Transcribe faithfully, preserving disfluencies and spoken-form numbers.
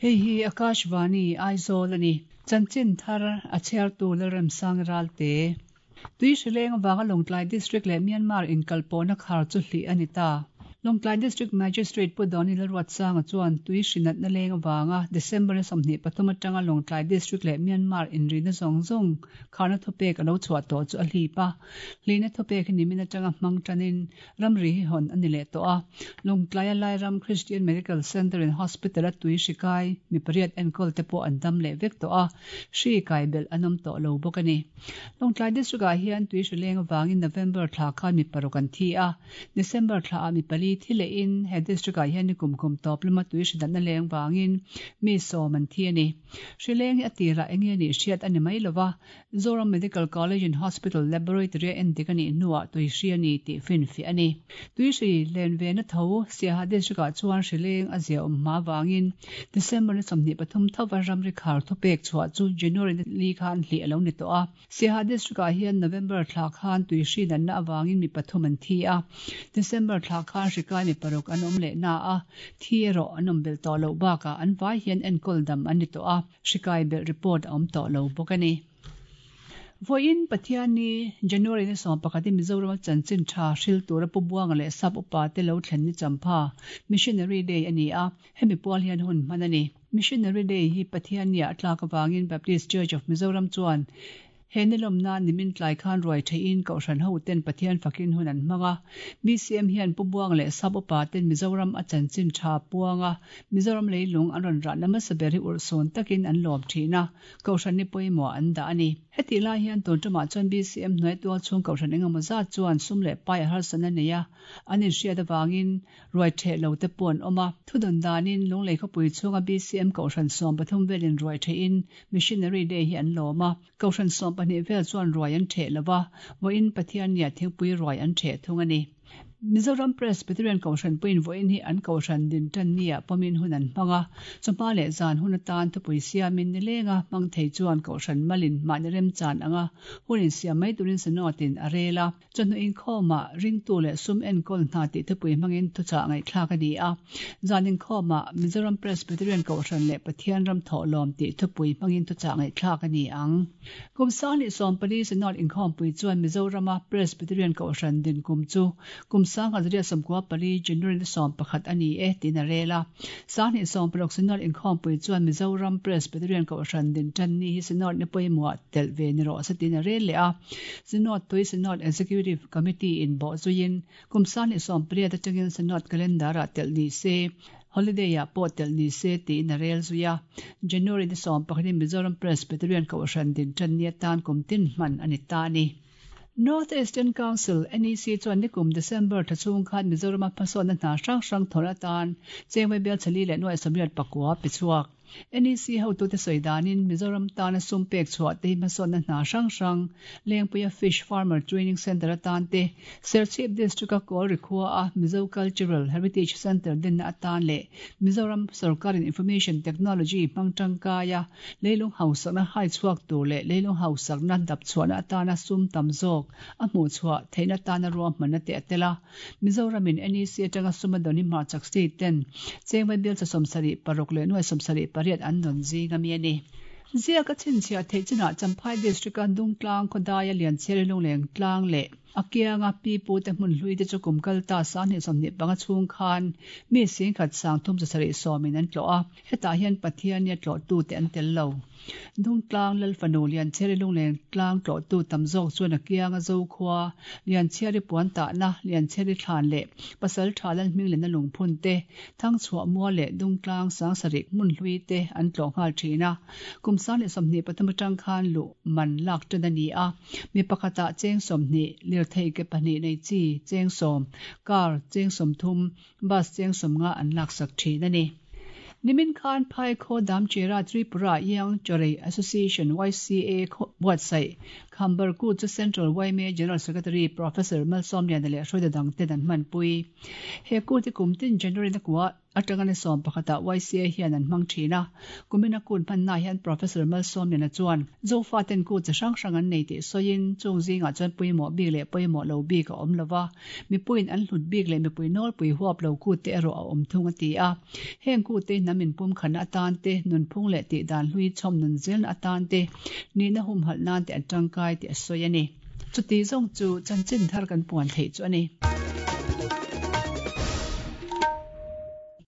Hei hi Akashvani Aizawl ani. Chanchin thar a chhiartu Lalremsang Ralte. Tui hrileng avanga Lawngtlai District leh Myanmar inkalpawhna khar chu hlih a ni ta. Lawngtlai District Magistrate Pu Dawni Lalruatsanga chuan tui hrinatna leng avanga December ni sawmhnih pathum atanga Lawngtlai District leh Myanmar inrina zawng zawng kharna thupek a lo chhuah tawh chu a hlip a. Hlihna thupek hi nimin atanga hmang tanin ramri hi hawn a ni leh tawh a. Lawngtlaia Lairam Christian Medical Centre in Hospital a tui hri kai mi pariat enkawl te pawh an dam leh vek tawh a, hri kai belh an awm tawh lo bawk a ni. Lawngtlai District ah hian tui hri leng avangin November thla khan mi paruk an thi a, December thla ah mi pali thi lehin he district ah hian nikum kum tawp lama tui hri natna leng vangin mi sawm an thi a ni. Hri leng hi a tirah eng nge nih hriat a ni mai lova, Zoram Medical College and Hospital Laboratory a endik a nih hnuah tui hri a ni tih finfiah a ni. Tui hri len ve na tho Siaha district ah chuan hri leng a zia awm hma vangin December ni sawmhnih pathum thova ramri khar thupek chhuah chu January ni li khan hlih a lo ni tawh a. Siaha district ah hian November thla khan tui hri natna avangin mi pathum an thi a, December thla khan hri kai mi paruk an awm leh na a, thi erawh an awm belh tawh loh bakah an vai hian enkawl dam an ni tawh a, hri kai belh report a awm tawh lo bawk a ni. Vawiin Pathianni, January ni sawm pakhat hi Mizorama chanchin tha hril tura Pu Buanga leh Sap upa te lo thlen ni champha, Missionary Day a ni a, hemi pual hian hun hman a ni. Missionary Day hi Pathianni ah a tlak avangin Baptist Church of Mizoram chuan He nilawmna nimin tlai khan ruai theihin Kohhran hoten Pathian fakin hun an hmang a. B C M hian Pu Buang leh Sap upa ten Mizoram a chanchin tha puang a, Mizoram leilung an rawn rahna hmasa ber hi urhsawn takin an lawm thin a, Kohhran ni pawimawh an dah a ni. Hetih lai hian tun tumah chuan B C M hnuai tual chhung Kohhran engemaw zat chuan sum leh pai a harsatna nei a, an inhriat avangin ruai theh lo te pawh an awm a. Thudawn danin Lunglei khawpui chhunga B C M Kohhran sawm pathum velin ruai thehin Missionary Day hi an lawm a. Kohhran sawm pahnih vel chuan ruai an theh lo va, vawiin Pathiannia thingpui ruai an theh thung a ni. Mizoram Presbyterian Kohhran puiin vawiin hi an Kohhran din tan nia pawmin hun an hmang a, chawhma leh zan hun atan thupui siamin nilenga hmang thei chuan Kohhran malin mahni remchan anga hun insiam mai turin Synod-in a rel a. Chawhnu inkhawmah ringtu leh sum enkawl hna tih thupui hmangin thuchah ngaihthlak a ni a. Zan inkhawmah Mizoram Presbyterian Kohhran leh Pathian ram thawhlawm tih thupui hmangin thuchah ngaihthlak a ni ang. Kum sanghnih sawm pali Synod inkhawmpui chuan Mizorama Presbyterian Kohhran din kum chu kum sangha zariat sawmkua pali January ni sawm pakhat a ni e tiin a rel a. Sanghnih sawm paruk Synod inkhawmpui chuan Mizoram Presbyterian Kohhran din tan ni hi Synod ni pawimawhah telh ve ni rawh se tiin a rel leh a. Synod tui Synod Executive Committee in bawh zuiin kum sanghnih sawm pariat atangin Synod Calendar-ah telh ni se, Holiday-ah pawh telh ni se tiin a rel zui a. January ni sawm pakhatin Mizoram Presbyterian Kohhran din tan ni atan kum tin hman a ni ta a ni. North Eastern Council, N E C, chuan nikum December thla chhung khan Mizorama hmasawnna hna hrang hrang thawrh atan chengvawi bial chali leh nuai sawmriat pakua pe chhuak. N E C hotute sawi danin Mizoram tana sum pek chhuah te hi hmasawnna hna hrang hrang Lengpuia Fish Farmer Training Centre atan te, Serchhip District-a Kawlri khua a Mizo Cultural Heritage Centre dinna atan leh Mizoram sorkarin Information Technology hmang tangkaia leilung hausakna hai chhuak tur leh leilung hausakna dap chhuahna atana sum tam zawk a hmuh chhuah theihna atana ruahmanna te a tel a. Mizoramin N E C atanga sum a dawn hi hmarchhak state ten chengvawi bial cha sawmsarih paruk leh nuai sawmsarih pariat an dawn zing ami a ni. Ziak a chhinchhiah theih chinah Champhai District-a Dungtlang khawdaia Lianchhiari lungleng tlang leh a kianga pi pute hmun hlui te chu kum kal ta sanghnih sawmhnih panga chhung khan mi singkhat sang thum zasarih sawmin an tlawh a, hetah hian Pathiannia tlawhtute an tel lo. Dungtlang Lalfanu Lianchhiari lungleng tlang tlawhtu tam zawk chuan a kianga Zokhua, Lianchhiari puan tahna, Lianchhiari thlan leh Pasal tha Lalhming lehna lungphun te, Thangchhuah mual leh Dungtlang Sangsarih hmun hlui te an tlawh nghal thin a. Kum sang leh sawmhnih pathum atang khan luh man lak tan a ni a, mi pakhatah cheng sawmhnih, lirthei ke pahnih nei chi cheng sawm, car cheng sawmthum, bus cheng sawmnga an laksak thin a ni. Nimin khan Phai khaw Damchera Tripura Young Chorei Association, Y C A, buatsaih Khambar Kut chu Central Y M A General Secretary Professor Malsawmliana leh hruaitu dangten an hmanpui. He kut hi kum tin January ni kua atanga ni sawm pakhatah Y C A hian an hmang thin a. Kumina kut hmannaah hian Professor Malsawmliana chuan Zofaten kut chi hrang hrang an nei tih sawiin chung zingah chuan pawimawh bik leh pawimawh lo bik a awm lova, mipuiin an hlut bik leh mipui nawlpui huap lo kut te erawh a awm thung a ti a. Heng kut te hnam inpumkhatna atan te, nunphung leh tihdan hlui chhawm nun zelna atan te, nihna humhalh nan te an tangkai tih a sawi a ni. Chuti zawng chu chanchin thar kan puan theih chu a ni.